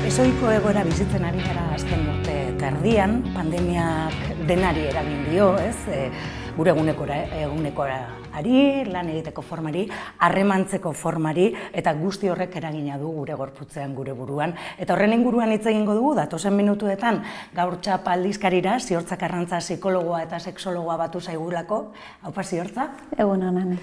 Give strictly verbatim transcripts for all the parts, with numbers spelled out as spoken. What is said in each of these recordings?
Ezohiko egoera bizitzen ari gara azken urte terdian, pandemiak denari eragin dio, ez? E, gure egunekora, egunekorari, lan egiteko formari, harremantzeko formari, eta guzti horrek eragina du gure gorputzean, gure buruan. Eta horren inguruan hitz egingo dugu, datozen minutuetan, Gaur Txapa aldizkarira, Ziortza Karrantza psikologoa eta sexologoa batu zaigulako. Haupa, Ziortza? Egun honan.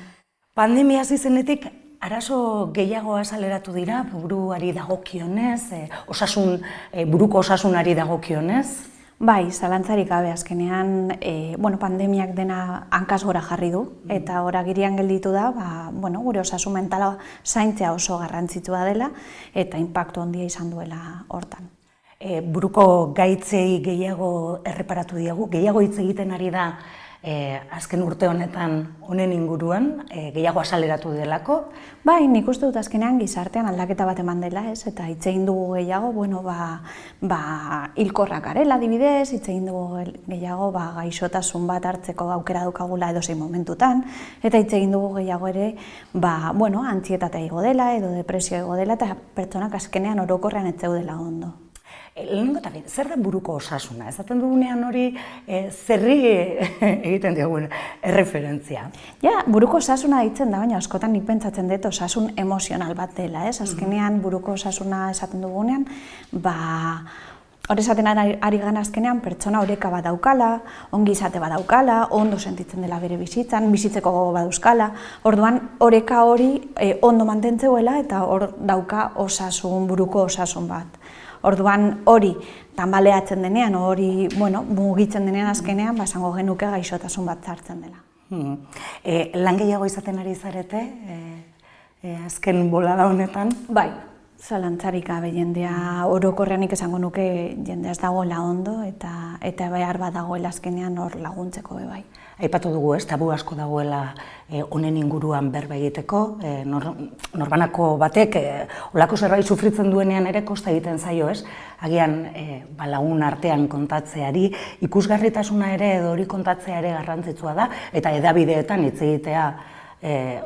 Pandemia hasi zenetik, arazo gehiago azaleratu dira, buruari dagokionez, e, osasun, e, buruko osasunari dagokionez? Bai, zalantzarik gabe azkenean, e, bueno, pandemiak dena hankaz gora jarri du, eta ora girian gelditu da, ba, bueno, gure osasun mentala zaintzea oso garrantzitsua dela, eta inpaktu handia izan duela hortan. E, buruko gaitzei gehiago erreparatu diagu, gehiago hitz egiten ari da, E, azken urte honetan honen inguruan, e, gehiago azaleratu delako? Bai, nik uste dut azkenean gizartean aldaketa bat eman dela, ez? Eta hitz egin dugu gehiago, bueno, ba, ba, hilkorrak garela adibidez, hitz egin dugu gehiago ba, gaixotasun bat hartzeko aukera dukagula edozein momentutan, eta hitz egin dugu gehiago ere, ba, bueno, antzietatea igo dela edo depresio igo dela, eta pertsonak azkenean orokorrean ez zeudela ondo. Lehenengo eta zer da buruko osasuna? Ezaten dugunean hori e, zerri egiten diogun erreferentzia? Ja, buruko osasuna ditzen da, baina askotan nik pentsatzen dut osasun emozional bat dela, ez? Azkenean buruko osasuna esaten dugunean, ba, hori esaten ari gana azkenean pertsona oreka bat daukala, ongi izate bat daukala, ondo sentitzen dela bere bizitzan, bizitzeko gogo bat dauzkala, orduan oreka hori e, ondo mantentzeuela eta hor dauka osasun, buruko osasun bat. Orduan hori tanbaleatzen denean, hori bueno, mugitzen denean azkenean, basango genuke gaixotasun bat zartzen dela. Hmm. E, lan gehiago izaten ari zarete, e, e, azken bolada honetan? Bai, zalantzarik gabe jendea orokorreanik esango nuke jendea ez dagoela ondo eta eta behar bat dagoela azkenean hor laguntzeko be bai. Aipatu dugu, ez, tabu asko dagoela honen e, inguruan berba egiteko, e, nor, norbanako batek e, olako zerbait sufritzen duenean ere kosta egiten zaio, ez? Agian e, ba, lagun artean kontatzeari, ikusgarritasuna ere edo hori kontatzea ere garrantzitsua da, eta hedabideetan hitz egitea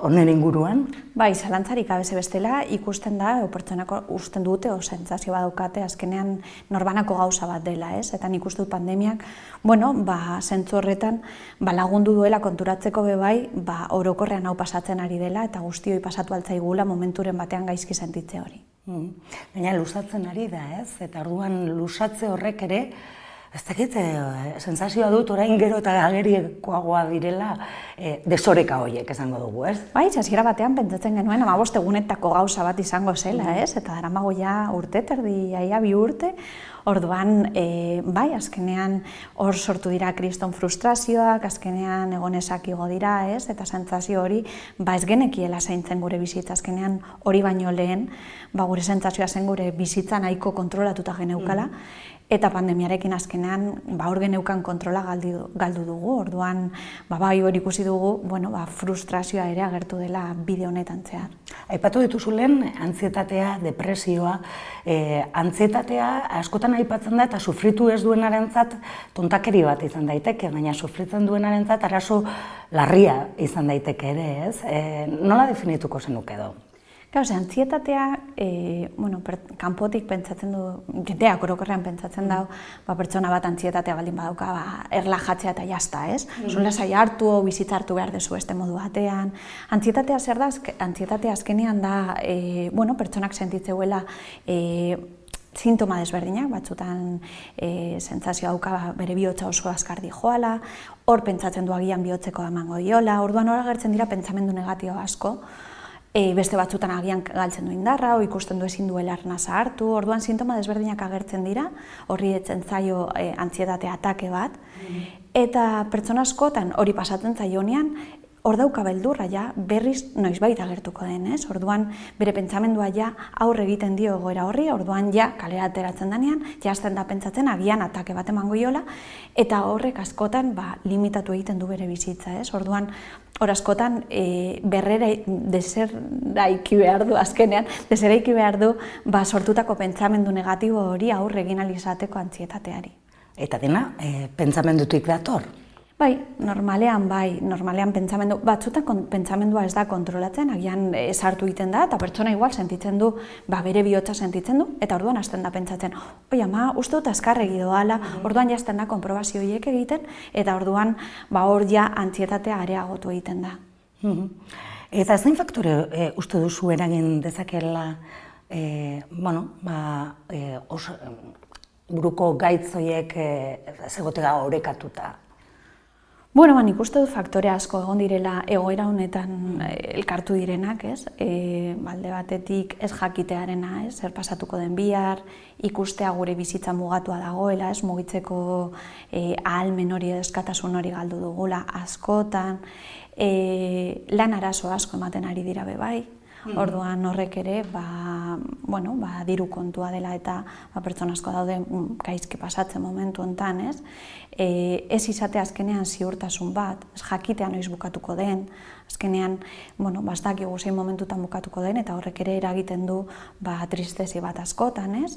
honen inguruan? Bai, zalantzarik abeze bestela ikusten da, o pertsonako usten dute, o sentsazio badaukate, azkenean norbanako gauza bat dela, ez? Eta nik uste dut pandemiak, bueno, ba, zentzu horretan, ba, lagundu duela konturatzeko be bai, ba, orokorrean hau pasatzen ari dela, eta guztioi pasatu altzaigula momenturen batean gaizki sentitze hori. Mm. Baina lusatzen ari da, ez? Eta orduan lusatze horrek ere, ez dakit, e, sensazioa dut orain gero eta agerikoagoa direla e, desoreka horiek esango dugu, ez? Bai, hasiera batean pentsatzen genuen hamabost egunetako gauza bat izango zela, ez? Eta daramago ja urte, terdi, jaia bi urte, orduan, e, bai, azkenean hor sortu dira kriston frustrazioak, azkenean egonezak igo dira, ez? Eta sentsazio hori, ba ez genekiela zaintzen gure bizitza, azkenean hori baino lehen, ba gure sentsazioa zen gure bizitza nahiko kontrolatuta geneukala, eta pandemiarekin azkenean ba hor geneukan kontrola galdu, galdu dugu, orduan ba bai hori ikusi dugu, bueno, ba, frustrazioa ere agertu dela bide honetan zehar. Aipatu dituzu lehen antzietatea, depresioa, e, antzietatea askotan aipatzen da eta sufritu ez duenarentzat tontakeri bat izan daiteke, baina sufritzen duenarentzat arazo larria izan daiteke ere, ez? E, nola definituko zenuk edo? Gauze, antzietatea, e, bueno, per, kanpotik pentsatzen du, jendeak orokorrean pentsatzen dau, ba, pertsona bat antzietatea baldin badauka, ba, erlajatzea eta jazta, ez? Mm. Zun lasai hartu, bizitza hartu behar dezu este modu batean. Antzietatea zer da, antzietatea azkenean da, e, bueno, pertsonak sentitzeuela, e, sintoma desberdinak, batzutan e, sentsazio dauka bere bihotza oso azkar dijoala, hor pentsatzen du agian bihotzeko emango diola, orduan hor agertzen dira pentsamendu negatibo asko, E, beste batzutan agian galtzen du indarra, o ikusten du ezin duela arnasa hartu, orduan sintoma desberdinak agertzen dira, horri etzen zaio e, antsietate atake bat, mm. eta pertsona askotan hori pasatzen zaionean, hor dauka beldurra ja, berriz noizbait agertuko den, ez? Orduan bere pentsamendua ja aurre egiten dio egoera horri, orduan ja kalera ateratzen denean, ja hasten da pentsatzen agian atake bat emango iola, eta horrek askotan ba, limitatu egiten du bere bizitza, ez? Orduan hor askotan e, berrera deseraiki behar du azkenean, deseraiki behar du ba, sortutako pentsamendu negatibo hori aurre egin ahal izateko antsietateari. Eta dena, e, pentsamendutik dator? Bai, normalean bai, normalean pentsamendu, batzutan pentsamendua ez da kontrolatzen, agian sartu egiten da, eta pertsona igual sentitzen du, ba, bere bihotza sentitzen du, eta orduan hasten da pentsatzen, oi ama, uste dut azkarregi doala, orduan jazten da konprobazio horiek egiten, eta orduan ba, hor ja antzietatea areagotu egiten da. Eta zein faktore e, uste duzu eragin dezakela, e, bueno, ba, e, os, buruko gaitzoiek e, zegotega orekatuta? Bueno, nik uste dut faktore asko egon direla egoera honetan elkartu direnak, ez? E, alde batetik ez jakitearena, ez? Zer pasatuko den bihar, ikustea gure bizitza mugatua dagoela, ez? Mugitzeko e, ahalmen hori, eskatasun hori galdu dugula askotan, e, lan arazo asko ematen ari dira be bai. Orduan horrek ere, ba, bueno, ba, diru kontua dela eta ba, pertsona asko daude gaizki pasatzen momentu hontan, ez? E, ez izate azkenean ziurtasun bat, ez jakitea noiz bukatuko den, azkenean, bueno, ba, ez dakigu zein momentutan bukatuko den, eta horrek ere eragiten du ba, tristezi bat askotan, ez?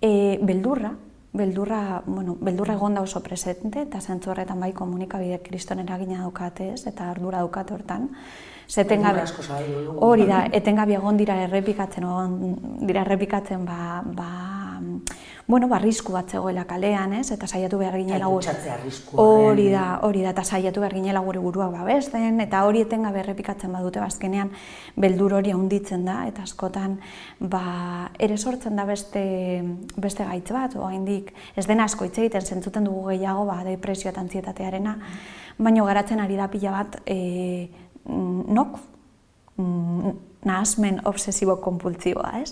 E, beldurra, beldurra, bueno, beldurra egon da oso presente, eta zentzu horretan bai komunikabide kriston eragina daukate, ez? Eta ardura daukate hortan. Hori da, etengabe egon dira errepikatzen, dira errepikatzen, ba, ba, bueno, ba, arrisku bat zegoela kalean, ez? Eta saiatu behar ginela gure... Hori da, hori da, eta saiatu behar ginela gure buruak babesten, eta hori etengabe errepikatzen badute, bazkenean, beldur hori handitzen da, eta askotan, ba, ere sortzen da beste, beste gaitz bat, oraindik ez den asko hitz egiten zentzuten dugu gehiago, ba, depresio eta antzietatearena, baina garatzen ari da pila bat, e, nok, nahasmen obsesibo-kompultsiboa, ez?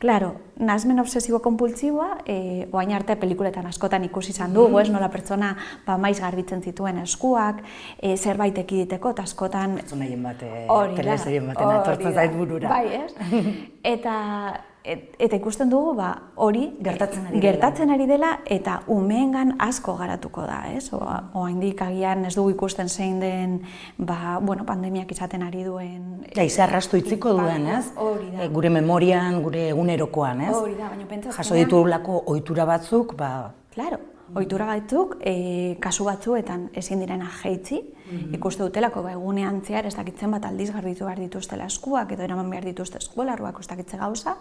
Claro, nahasmen obsesibo-kompultsiboa, e, oain arte pelikuletan askotan ikusi izan dugu, ez? Nola pertsona ba, maiz garbitzen zituen eskuak, e, zerbait ekiditeko, eta askotan... Pertsonaien bate, telesaien baten atortzen zait burura. Bai, ez? Eta... Et, eta ikusten dugu ba, hori gertatzen ari, gertatzen ari dela eta umeengan asko garatuko da, ez? Oraindik agian ez dugu ikusten zein den ba, bueno, pandemiak izaten ari duen... Ja, izarrastu itziko duen, ez? Hori da. E, gure memorian, gure egunerokoan, ez? Hori da, baina pentsatzen... Jaso ditugulako ohitura batzuk, ba... Claro, ohitura batzuk, e, kasu batzuetan ezin direna jeitzi, mm-hmm. ikuste dutelako ba, egunean zehar ez dakitzen bat aldiz garbitu behar dituztela eskuak edo eraman behar dituzte eskuelarruak ez dakitze gauza,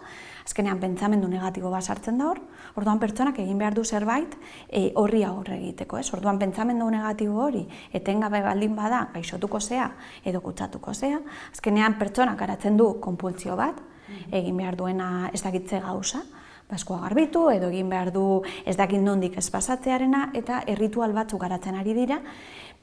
azkenean pentsamendu negatibo bat sartzen da hor, orduan pertsonak egin behar du zerbait e, horri aurre egiteko, ez? Orduan pentsamendu negatibo hori etengabe baldin bada gaixotuko zea edo kutsatuko zea, azkenean pertsonak garatzen du konpultsio bat, mm-hmm. egin behar duena ez dakitze gauza, eskua garbitu edo egin behar du ez dakit nondik ez pasatzearena eta erritual batzuk garatzen ari dira,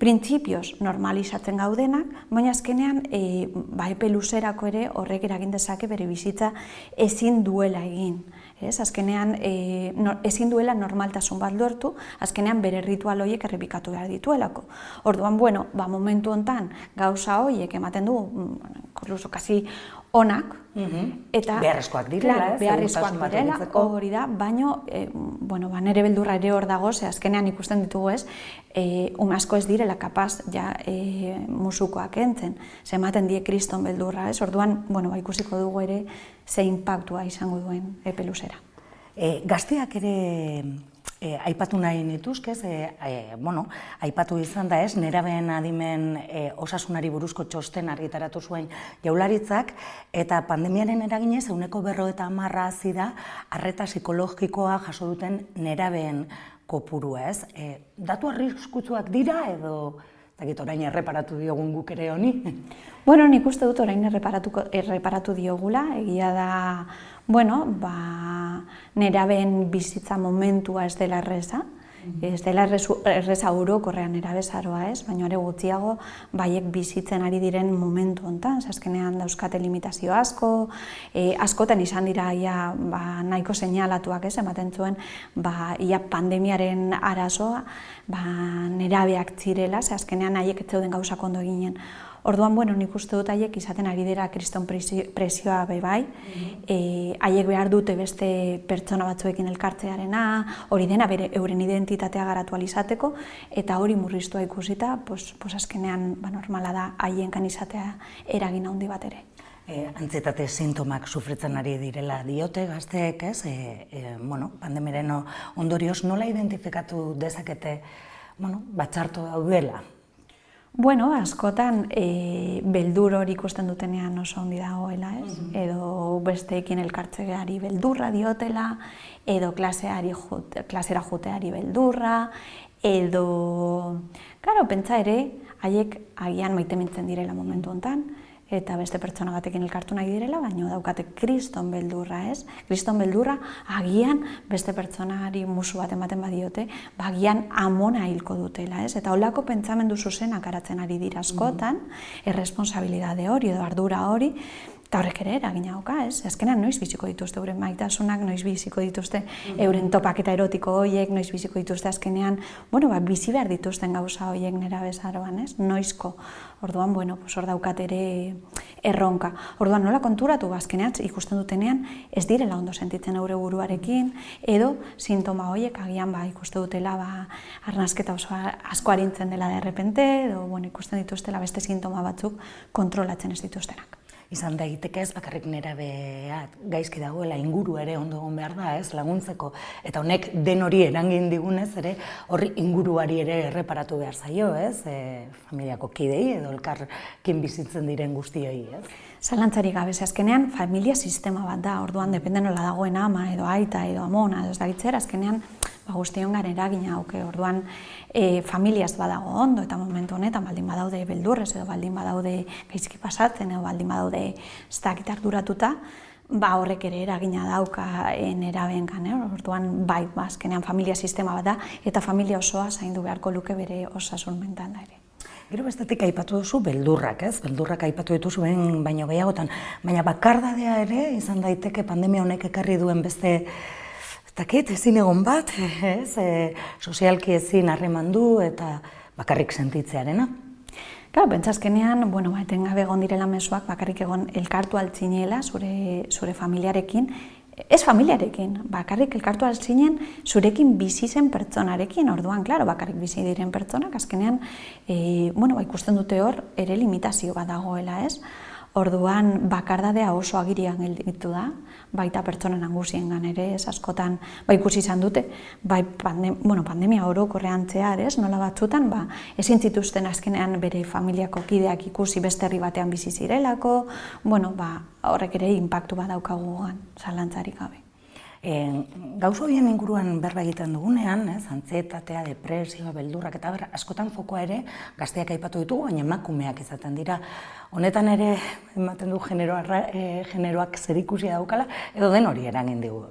printzipioz normalizatzen gaudenak, baina azkenean e, ba, epe luzerako ere horrek eragin dezake bere bizitza ezin duela egin. Ez? Azkenean e, no, ezin duela normaltasun bat lortu, azkenean bere ritual horiek errepikatu behar dituelako. Orduan, bueno, ba, momentu hontan gauza horiek ematen du, inkluso kasi onak, eta beharrezkoak direla, ez? Beharrezkoak direla, hori da, baina, e, bueno, ba, nere beldurra ere hor dago, ze azkenean ikusten ditugu ez, e, ume asko ez direla kapaz ja e, musukoak entzen, ze ematen die kriston beldurra, ez? Orduan, bueno, ba, ikusiko dugu ere ze impactua izango duen epe luzera. E, gazteak ere e, aipatu nahi nituzke, e, e, bueno, aipatu izan da ez, nerabeen adimen e, osasunari buruzko txosten argitaratu zuen Jaurlaritzak, eta pandemiaren eraginez ehuneko berrogeita hamarra hazi da arreta psikologikoa jaso duten nerabeen kopurua, ez? E, datu arriskutsuak dira edo dakit orain erreparatu diogun guk ere honi? Bueno, nik uste dut orain erreparatu diogula, egia da, bueno, ba, nerabeen bizitza momentua ez dela erreza, ez dela erreza orokorrean nerabezaroa ez, baina ere gutxiago baiek bizitzen ari diren momentu hontan, azkenean dauzkate limitazio asko, e, askotan izan dira ia, ba, nahiko seinalatuak ez, ematen zuen ba, ia pandemiaren arazoa ba, nerabeak zirela, ze azkenean haiek ez zeuden gauzak ondo eginen. Orduan, bueno, nik uste dut haiek izaten ari dira kriston presioa bai bai, haiek behar dute beste pertsona batzuekin elkartzearena, hori dena bere euren identitatea garatu alizateko, eta hori murriztua ikusita, pues, pues azkenean ba, normala da haienkan izatea eragin handi bat ere. E, antzietate sintomak sufritzen ari direla diote gazteek, ez? E, e, bueno, pandemiaren ondorioz nola identifikatu dezakete bueno, batxarto daudela. Bueno, askotan e, beldur hori ikusten dutenean oso ondi dagoela, ez? Mm-hmm. Edo besteekin elkartzeari beldurra diotela, edo klaseari jute, klasera juteari beldurra, edo... Karo, pentsa ere, haiek agian maitemintzen direla momentu honetan, eta beste pertsona batekin elkartu nahi direla, baina daukate kriston beldurra, ez? Kriston beldurra, agian beste pertsonari musu bat ematen badiote, agian amona hilko dutela, ez? Eta holako pentsamendu zuzenak aratzen ari dira askotan, erresponsabilidade hori edo ardura hori, eta horrek ere eragina dauka, ez? Azkenean noiz biziko dituzte euren maitasunak, noiz biziko dituzte euren topaketa erotiko horiek, noiz biziko dituzte azkenean, bueno, ba, bizi behar dituzten gauza horiek nera bezaroan, ez? Noizko. Orduan, bueno, pues hor daukat ere erronka. Orduan, nola konturatu, azkenean ikusten dutenean ez direla ondo sentitzen eure buruarekin, edo sintoma horiek agian ba, ikuste dutela ba, arnasketa oso asko arintzen dela de repente, edo bueno, ikusten dituztela beste sintoma batzuk kontrolatzen ez dituztenak. Izan daiteke ez bakarrik nerabea gaizki dagoela, inguru ere ondo egon behar da, ez, laguntzeko. Eta honek den hori erangin digunez ere, horri inguruari ere erreparatu behar zaio, ez, e, familiako kidei edo elkarrekin bizitzen diren guztioi, ez. Zalantzari gabe, azkenean familia sistema bat da, orduan depende nola dagoen ama edo aita edo amona, ez da gitzera, azkenean ba, guztion garen eragina hauke, orduan e, familiaz badago ondo eta momentu honetan baldin badaude beldurrez edo baldin badaude gaizki pasatzen edo baldin badaude ez dakit arduratuta, ba horrek ere eragina dauka nerabengan, eh? Orduan bai, ba, azkenean familia sistema bat da eta familia osoa zaindu beharko luke bere osasun mentala ere. Gero bestetik aipatu duzu beldurrak, ez? Beldurrak aipatu dituzu behin baino gehiagotan, baina bakardadea ere izan daiteke pandemia honek ekarri duen beste Takit, ezin egon bat, ez, e, sozialki ezin harremandu eta bakarrik sentitzearena. Claro, pentsazkenean, bueno, ba, etengabe egon direla mezuak bakarrik egon elkartu altzinela zure, zure familiarekin, ez familiarekin, bakarrik elkartu altzinen zurekin bizi zen pertsonarekin, orduan, claro, bakarrik bizi diren pertsonak, azkenean, e, bueno, ba, ikusten dute hor, ere limitazio bat dagoela, ez? Orduan, bakardadea oso agirian gelditu da, baita pertsonen angusiengan ere, ez askotan, ba ikusi izan dute, bai pandem, bueno, pandemia orokorrean zehar, ez, nola batzutan, ba, ezin zituzten azkenean bere familiako kideak ikusi beste herri batean bizi zirelako, bueno, ba, horrek ere inpaktu bat daukaguan, zalantzarik gabe. E, Gauza horien inguruan berba egiten dugunean, ez, antsietatea, depresioa, beldurrak eta ber, askotan fokoa ere gazteak aipatu ditugu, baina emakumeak izaten dira. Honetan ere ematen du generoa, e, generoak zerikusia daukala, edo den hori eragin digu.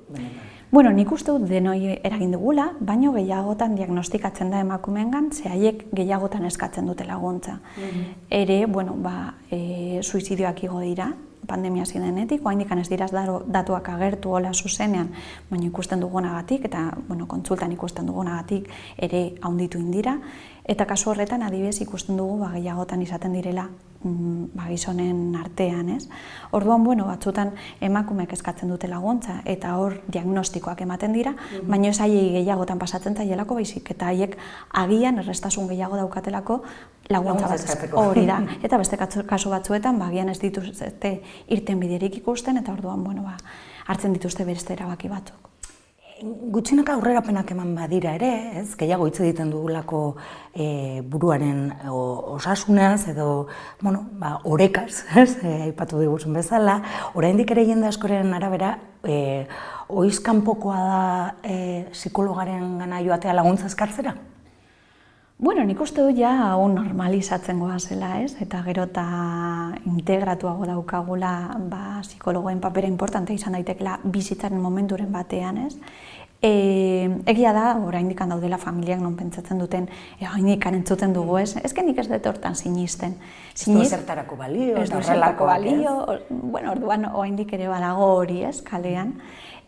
Bueno, nik uste dut denoi eragin dugula, baino gehiagotan diagnostikatzen da emakumeengan, ze haiek gehiagotan eskatzen dute laguntza. Mm-hmm. Ere, bueno, ba, e, suizidioak igo dira, pandemia zidenetik, oraindik ez dira datuak agertu hola zuzenean, baina ikusten dugunagatik eta bueno, kontsultan ikusten dugunagatik ere handitu indira, eta kasu horretan adibidez ikusten dugu ba, gehiagotan izaten direla mm, ba, gizonen artean, ez? Orduan, bueno, batzutan emakumeek eskatzen dute laguntza eta hor diagnostikoak ematen dira, mm-hmm. baina ez haiei gehiagotan pasatzen zaielako baizik, eta haiek agian errestasun gehiago daukatelako laguntza bat hori da. Eta beste kasu batzuetan, ba, agian ez dituzte irten biderik ikusten, eta orduan, bueno, ba, hartzen dituzte beste erabaki batzuk. Gutxinaka aurrerapenak eman badira ere, ez? Gehiago hitz egiten dugulako e, buruaren o, osasunaz edo, bueno, ba, orekaz, ez? E, aipatu diguzun bezala, oraindik ere jende askoren arabera, e, oizkanpokoa da e, psikologaren gana joatea laguntza eskartzera? Bueno, nik uste du ja hau normalizatzen goazela, ez? Eta gero eta integratuago daukagula ba, psikologoen papera importante izan daitekela bizitzaren momenturen batean, ez? E, egia da, oraindik daudela familiak non pentsatzen duten, oraindik entzuten dugu, ez? Ez nik ez dut hortan sinisten. Ez du zertarako balio, ez du zertarako balio, bueno, orduan oraindik ere badago hori, ez, kalean.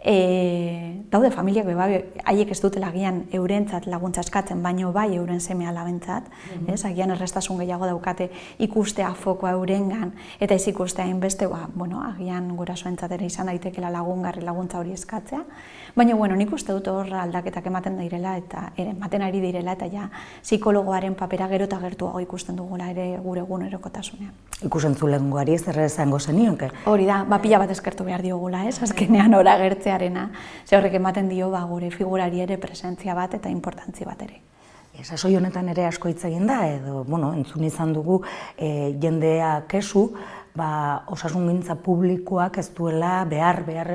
E, daude familiak beba, haiek ez dutela agian eurentzat laguntza eskatzen, baino bai euren seme alabentzat, mm-hmm. ez, agian errestasun gehiago daukate ikustea fokoa eurengan, eta ez ikustea hainbeste, ba, bueno, agian gurasoentzat ere izan daitekela lagungarri laguntza hori eskatzea, baina, bueno, nik uste dut hor aldaketak ematen direla, eta ere, ematen ari direla, eta ja, psikologoaren papera gero eta gertuago ikusten dugula ere gure egunerokotasunean. Ikusentzulengoari zer esango zenioke? Hori da, ba, pila bat eskertu behar diogula, ez, azkenean ora gertzea arena, ze horrek ematen dio ba, gure figurari ere presentzia bat eta importantzia bat ere. sasoi honetan ere asko hitz egin da, edo, bueno, entzun izan dugu jendea kesu, ba, osasungintza publikoak ez duela behar, behar,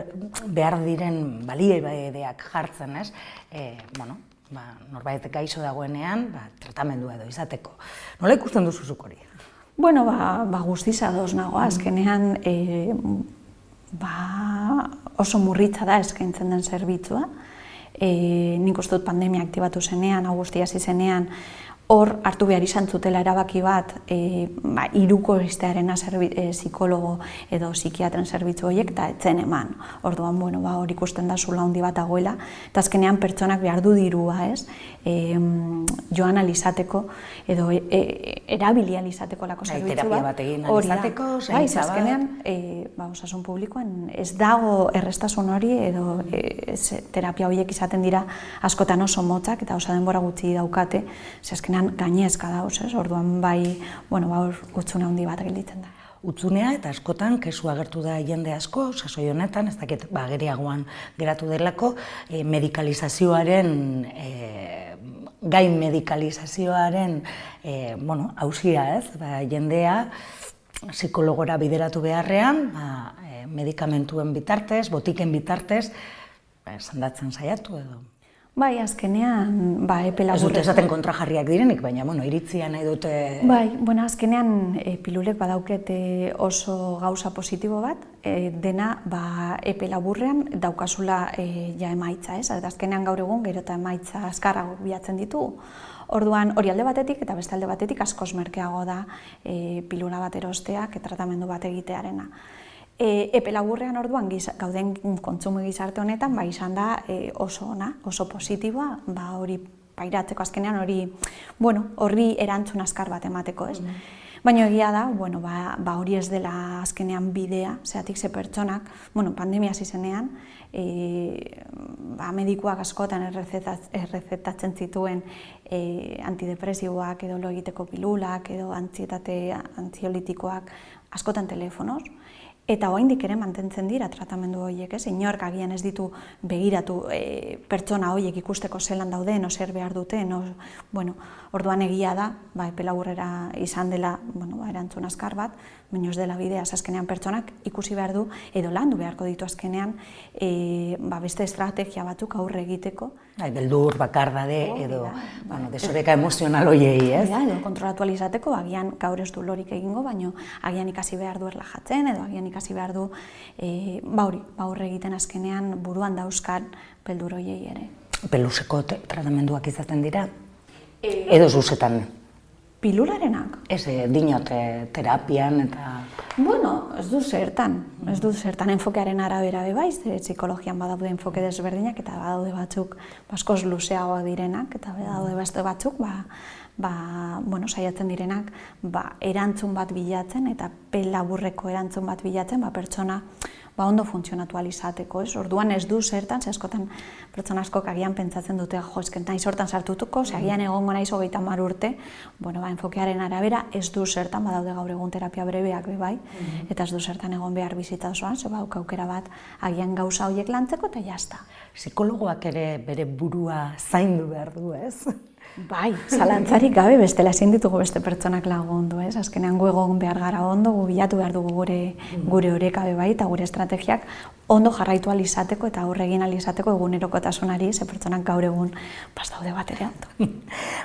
behar diren baliabideak jartzen, ez? E, bueno, ba, norbait gaixo dagoenean, ba, tratamendua edo izateko. Nola ikusten duzuzuk hori? Bueno, ba, ba guztiz ados nago, azkenean e, ba, oso murritza da eskaintzen den zerbitzua. E, nik uste dut pandemia aktibatu zenean, hau guztia hasi zenean, hor hartu behar izan zutela erabaki bat e, ba, hiruko istearena e, psikologo edo psikiatren zerbitzu horiek eta etzen eman. Orduan, bueno, ba, hor ikusten da zula handi bat dagoela, eta azkenean pertsonak behar du dirua, ez? E, joan alizateko edo e, e, erabili alizateko lako zerbitzu bat. Terapia bat egin alizateko, zaintza bat. Azkenean, e, ba, osasun publikoan ez dago errestasun hori edo e, ez, terapia horiek izaten dira askotan oso motzak eta oso denbora gutxi daukate, ze azkenean gainezka dauz, ez? Orduan bai, bueno, ba, hutsune handi bat gelditzen da. Hutzunea eta askotan kesu agertu da jende asko, sasoi honetan, ez dakit ba, geriagoan geratu delako, e, medikalizazioaren, e, gain medikalizazioaren, e, bueno, hausia, ez? Ba, jendea psikologora bideratu beharrean, ba, e, medikamentuen bitartez, botiken bitartez, ba, sandatzen saiatu edo. Bai, azkenean, ba, epe laburrean... Ez dute esaten kontrajarriak direnik, baina, bueno, iritzia nahi dute... Bai, bueno, azkenean e, pilulek badaukete oso gauza positibo bat, e, dena, ba, epe laburrean daukazula e, ja emaitza, ez? Eta azkenean gaur egun, gero eta emaitza azkarrago bilatzen ditugu. Orduan, hori alde batetik eta beste alde batetik askoz merkeago da e, pilula bat erosteak, tratamendu bat egitearena. E, epe laburrean orduan gauden kontsumo gizarte honetan ba, izan da e, oso ona, oso positiboa, ba, hori pairatzeko azkenean hori, bueno, horri erantzun azkar bat emateko, ez? Mm. Baina egia da, bueno, ba, ba hori ez dela azkenean bidea, zeatik ze pertsonak, bueno, pandemia hasi zenean, e, ba, medikuak askotan errezetatzen zituen e, antidepresiboak edo lo egiteko pilulak edo antsietate antziolitikoak askotan telefonoz. Eta oraindik ere mantentzen dira tratamendu horiek, ez? Inork agian ez ditu begiratu e, pertsona horiek ikusteko zelan dauden, o zer behar duten, o, bueno, orduan egia da, ba, epe laburrera izan dela, bueno, ba, erantzun azkar bat, baina ez dela bidea, azkenean pertsonak ikusi behar du, edo landu beharko ditu azkenean, e, ba, beste estrategia batzuk aurre egiteko. Ai, beldur, bakardade, oh, edo, da, bueno, desoreka emozional hoiei, ez? Da, edo kontrolatu alizateko, agian gaur ez du lorik egingo, baina agian ikasi behar du erlajatzen, edo agian ikasi behar du, e, ba hori, ba horre egiten azkenean buruan dauzkan beldur hoiei ere. Peluseko tratamenduak izaten dira? E... Edo zuzetan? Pilularenak? Ez, dinote terapian eta... Bueno, ez du zertan, ez du zertan enfokearen arabera bebaiz, psikologian badaude enfoke desberdinak eta badaude batzuk askoz luzeagoak direnak eta badaude beste batzuk, ba, ba, bueno, saiatzen direnak, ba, erantzun bat bilatzen eta pe laburreko erantzun bat bilatzen, ba, pertsona ba, ondo funtzionatu alizateko, ez? Orduan ez du zertan, ze askotan pertsona askok agian pentsatzen dute, jo, esken naiz hortan sartutuko, ze agian egongo naiz hogeita hamar urte, bueno, ba, enfokearen arabera ez du zertan, badaude gaur egun terapia brebeak be bai, eta ez du zertan egon behar bizita osoan, ze bauk aukera bat agian gauza horiek lantzeko eta jazta. Psikologoak ere bere burua zaindu behar du, ez? Bai, zalantzarik gabe bestela ezin ditugu beste pertsonak lagundu, ez? Azkenean gu egon behar gara ondo, gu bilatu behar dugu gure gure oreka be bai eta gure estrategiak ondo jarraitu alizateko eta aurre egin alizateko egunerokotasunari, ze pertsonak gaur egun pas daude bat ere ondo.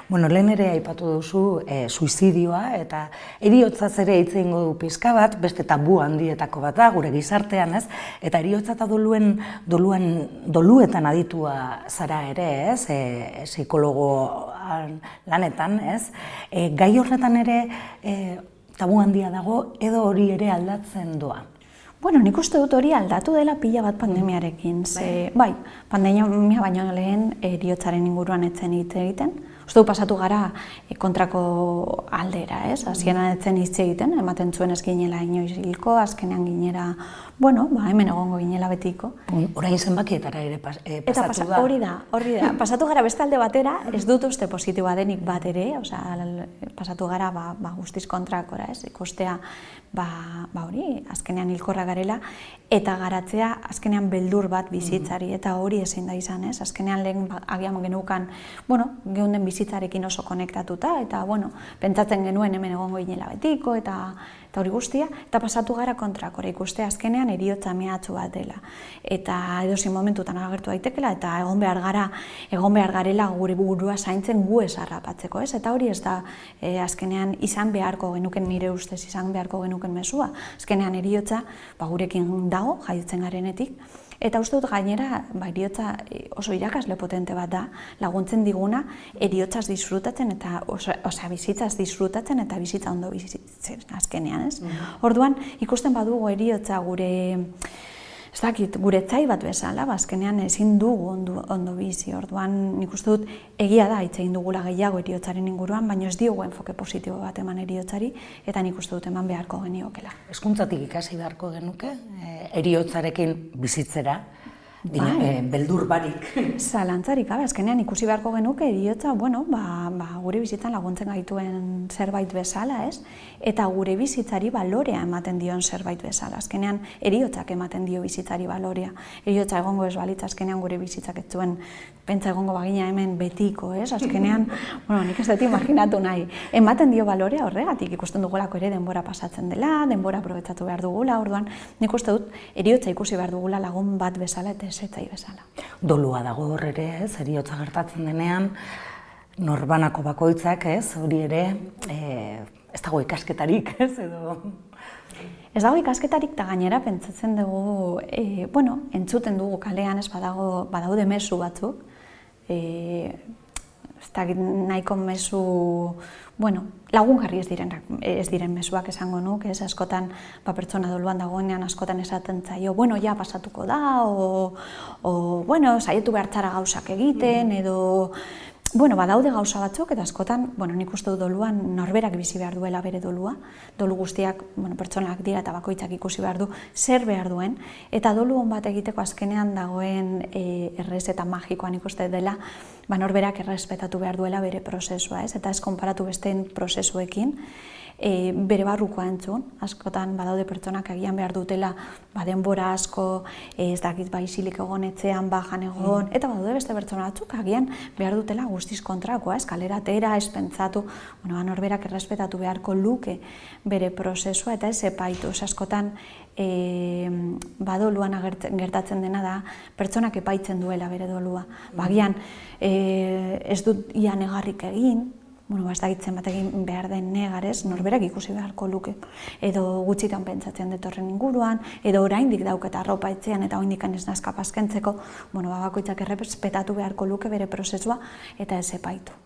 Bueno, lehen ere aipatu duzu e, suizidioa eta heriotzaz ere hitz egingo du pizka bat, beste tabu handietako bat da gure gizartean, ez? Eta heriotza eta doluen doluan doluetan aditua zara ere, ez? E, psikologo lanetan, ez? E, gai horretan ere e, tabu handia dago edo hori ere aldatzen doa? Bueno, nik uste dut hori aldatu dela pila bat pandemiarekin. Ze, bai, pandemia baino lehen heriotzaren inguruan etzen hitz egiten. Uste du pasatu gara kontrako aldera, ez? Hasieran etzen hitz egiten, ematen zuen ez ginela inoiz hilko, azkenean ginera, bueno, ba, hemen egongo ginela betiko. Orain zenbakietara ere pas, eh, pasatu Eta pasa, da. Hori da, hori da. Pasatu gara beste alde batera, ez dut uste positiboa denik bat ere, osea, pasatu gara ba, ba, guztiz kontrakora, ez? Ikustea, ba, ba hori, azkenean hilkorra garela, eta garatzea azkenean beldur bat bizitzari, eta hori ezin da izan, ez? Azkenean lehen ba, agian genukan, bueno, geunden bizitzarekin oso konektatuta, eta, bueno, pentsatzen genuen hemen egongo ginela betiko, eta eta hori guztia, eta pasatu gara kontrakora ikuste azkenean heriotza mehatxu bat dela. Eta edozein momentutan agertu daitekela, eta egon behar gara, egon behar garela gure burua zaintzen gu ez harrapatzeko, ez? Eta hori ez da e, azkenean izan beharko genuken, nire ustez izan beharko genuken mezua. Azkenean heriotza ba, gurekin dago, jaiotzen garenetik. Eta uste dut gainera, ba, heriotza oso irakasle potente bat da, laguntzen diguna heriotzaz disfrutatzen eta osea bizitzaz disfrutatzen eta bizitza ondo bizitzen azkenean, ez? Mm-hmm. Orduan, ikusten badugu heriotza gure, ez dakit, gure etzai bat bezala, ba, azkenean ezin dugu ondo, ondo bizi. Orduan, nik uste dut egia da hitz egin dugula gehiago heriotzaren inguruan, baina ez diogu enfoke positibo bat eman heriotzari, eta nik uste dut eman beharko geniokela. Hezkuntzatik ikasi beharko genuke, heriotzarekin bizitzera, Bai. Beldur barik. Zalantzarik, azkenean ikusi beharko genuke heriotza, bueno, ba, ba, gure bizitzan laguntzen gaituen zerbait bezala, ez? Eta gure bizitzari balorea ematen dion zerbait bezala. Azkenean heriotzak ematen dio bizitzari balorea. Heriotza egongo ez balitz, azkenean gure bizitzak ez zuen pentsa egongo bagina hemen betiko, ez? Azkenean, bueno, nik ez dut imaginatu nahi. Ematen dio balorea horregatik, ikusten dugulako ere denbora pasatzen dela, denbora aprobetxatu behar dugula, orduan nik uste dut heriotza ikusi behar dugula lagun bat bezala eta ezetzai bezala. Dolua dago hor ere, ez, heriotza gertatzen denean, norbanako bakoitzak, ez, hori ere, e, ez dago ikasketarik, ez, edo... Ez dago ikasketarik eta gainera pentsatzen dugu, e, bueno, entzuten dugu kalean, ez badago, badaude mezu batzuk, e, ez da nahiko mezu, bueno, lagungarri ez diren, ez diren mezuak esango nuk, ez, askotan, ba, pertsona doluan dagoenean askotan esaten zaio, bueno, ja pasatuko da, o, o bueno, saietu behartzara gauzak egiten, edo, bueno, badaude gauza batzuk, eta askotan, bueno, nik uste dut doluan norberak bizi behar duela bere dolua, dolu guztiak, bueno, pertsonak dira eta bakoitzak ikusi behar du, zer behar duen, eta dolu hon bat egiteko azkenean dagoen e, errez eta magikoan ikuste dela, ba, norberak errespetatu behar duela bere prozesua, ez? Eta ez konparatu besteen prozesuekin, e, bere barrukoa entzun, askotan badaude pertsonak agian behar dutela ba, denbora asko, e, ez dakit baizilik egon etxean, bajan egon, mm. eta badaude beste pertsona batzuk agian behar dutela guztiz kontrakoa, ez? Kalera atera, ez pentsatu, bueno, norberak errespetatu beharko luke bere prozesua eta ez epaitu, ez askotan E, badoluan gertatzen dena da, pertsonak epaitzen duela bere dolua. Bagian, e, ez dut ia negarrik egin, bueno, ba, ez dakitzen bat egin behar den negarez, norberak ikusi beharko luke. Edo gutxitan pentsatzen detorren inguruan, edo oraindik dauketa arropa etxean eta oraindik ez nazka paskentzeko, bueno, ba, bakoitzak errespetatu beharko luke bere prozesua eta ez epaitu.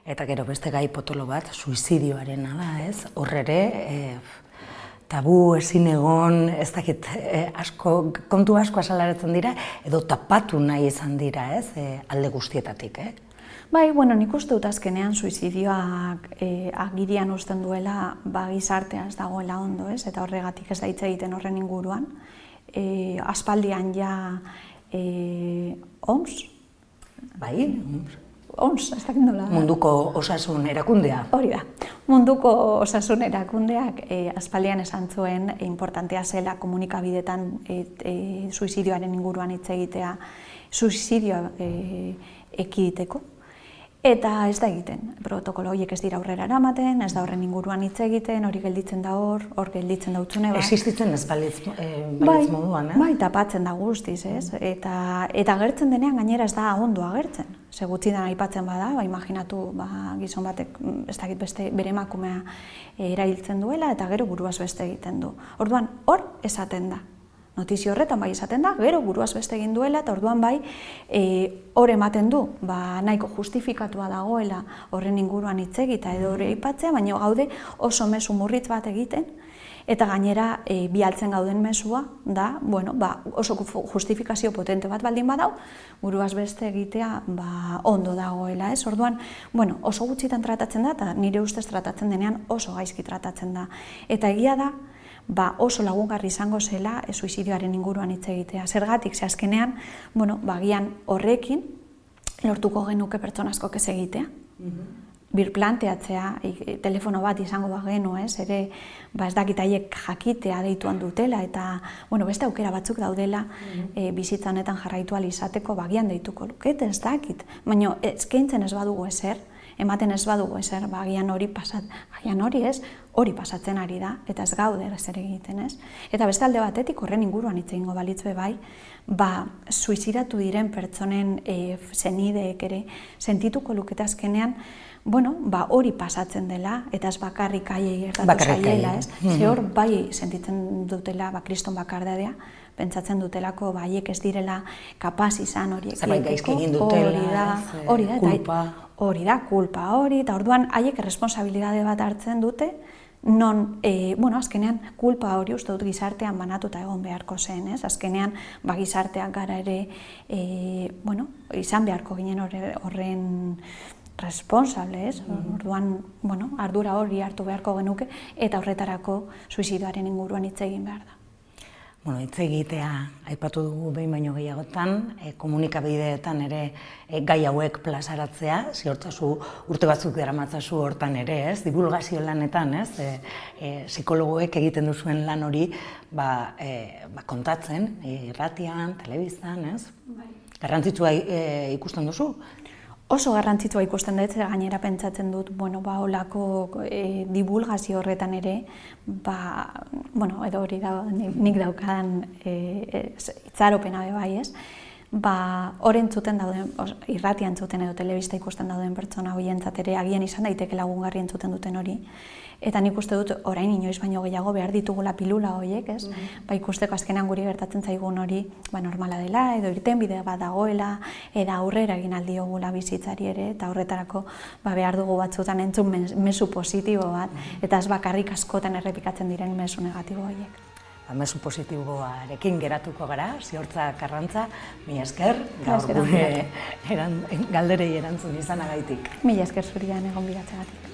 Eta gero beste gai potolo bat, suizidioarena da, ez? Horrere, e, tabu ezin egon, ez dakit, eh, asko, kontu asko azalaratzen dira, edo tapatu nahi izan dira, ez, eh, alde guztietatik, eh? Bai, bueno, nik uste dut azkenean suizidioak eh, agirian uzten duela ba, gizartea ez dagoela ondo, ez, eta horregatik ez da hitz egiten horren inguruan. Eh, aspaldian ja eh, O M S? Bai, O M S, ez dakit nola. Munduko osasun erakundea. Hori da. Munduko osasun erakundeak e, aspaldian esan zuen e, importantea zela komunikabidetan e, e, suizidioaren inguruan hitz egitea, suizidioa e, ekiditeko. Eta ez da egiten, protokolo horiek ez dira aurrera eramaten, ez da horren inguruan hitz egiten, hori gelditzen da hor, hor gelditzen da utzune bat. Existitzen ez balitz eh, bai, moduan, eh? Bai, tapatzen da guztiz, ez? Eta, eta agertzen denean gainera ez da ondo agertzen. Ze gutxidan aipatzen bada, ba, imaginatu ba, gizon batek ez dakit beste bere emakumea erailtzen duela eta gero buruaz beste egiten du. Orduan, hor esaten da. Notizio horretan bai esaten da, gero buruaz beste egin duela, eta orduan bai hor e, ematen du, ba, nahiko justifikatua dagoela horren inguruan hitz egita edo hori aipatzea, baina gaude oso mezu murritz bat egiten, eta gainera e, bialtzen gauden mezua da, bueno, ba, oso justifikazio potente bat baldin badau, buruaz beste egitea ba, ondo dagoela, ez? Orduan, bueno, oso gutxitan tratatzen da, eta nire ustez tratatzen denean oso gaizki tratatzen da. Eta egia da, ba, oso lagungarri izango zela e, suizidioaren inguruan hitz egitea. Zergatik, ze azkenean, bueno, bagian horrekin lortuko genuke pertsona askok ez egitea. Mm-hmm. Birplanteatzea, e, telefono bat izango bagenu, ez, ere, ba, ez dakit haiek jakitea deituan dutela, eta, bueno, beste aukera batzuk daudela mm-hmm. e, bizitza honetan jarraitu ahal izateko bagian deituko lukete, ez dakit. Baina eskaintzen ez badugu ezer, ematen ez badugu ezer, ba, agian hori pasat, agian hori ez, hori pasatzen ari da, eta ez gaude zer egiten, ez? Eta beste alde batetik horren inguruan hitz egingo balitz be bai, ba, suizidatu diren pertsonen e, senideek ere sentituko lukete azkenean, bueno, ba, hori pasatzen dela, eta ez bakarrik haiei gertatu zaiela, ez? Ze hor bai sentitzen dutela, ba, kriston bakardadea, pentsatzen dutelako ba, haiek ez direla kapaz izan horiek. Zerbait gaizki egin dutela, hori da, kulpa. Hori da, kulpa hori, eta orduan haiek erresponsabilitate bat hartzen dute, non, e, bueno, azkenean, kulpa hori uste dut gizartean banatuta egon beharko zen, ez? Azkenean, ba, gizarteak gara ere, e, bueno, izan beharko ginen horren responsable, ez? Orduan, bueno, ardura hori hartu beharko genuke, eta horretarako suizidioaren inguruan hitz egin behar da. Bueno, hitz egitea aipatu dugu behin baino gehiagotan, e, komunikabideetan ere e, gai hauek plazaratzea, ziortzazu urte batzuk daramatzazu hortan ere, ez? Divulgazio lanetan, ez? E, e, psikologoek egiten duzuen lan hori ba, e, ba, kontatzen, irratian, telebistan, ez? Bai. Garrantzitsua e, ikusten duzu? Oso garrantzitsua ikusten dut, gainera pentsatzen dut, bueno, ba, olako e, divulgazio horretan ere, ba, bueno, edo hori da, nik daukadan e, itzaropena be bai, ez? Ba, hor entzuten dauden, irratia entzuten edo telebista ikusten dauden pertsona horientzat ere agian izan daiteke lagungarri entzuten duten hori. Eta nik uste dut orain inoiz baino gehiago behar ditugula pilula horiek, ez? Mm-hmm. Ba, ikusteko azkenean guri gertatzen zaigun hori ba, normala dela, edo irtenbide bat dagoela, eta aurrera egin aldiogula bizitzari ere, eta horretarako ba, behar dugu batzutan entzun mezu positibo bat, eta ez bakarrik askotan errepikatzen diren mezu negatibo horiek. Ba, mezu positiboarekin geratuko gara, Ziortza Karrantza, mila esker, gaur gure galderei erantzun izanagaitik. Mila esker zurian egon biratzegatik.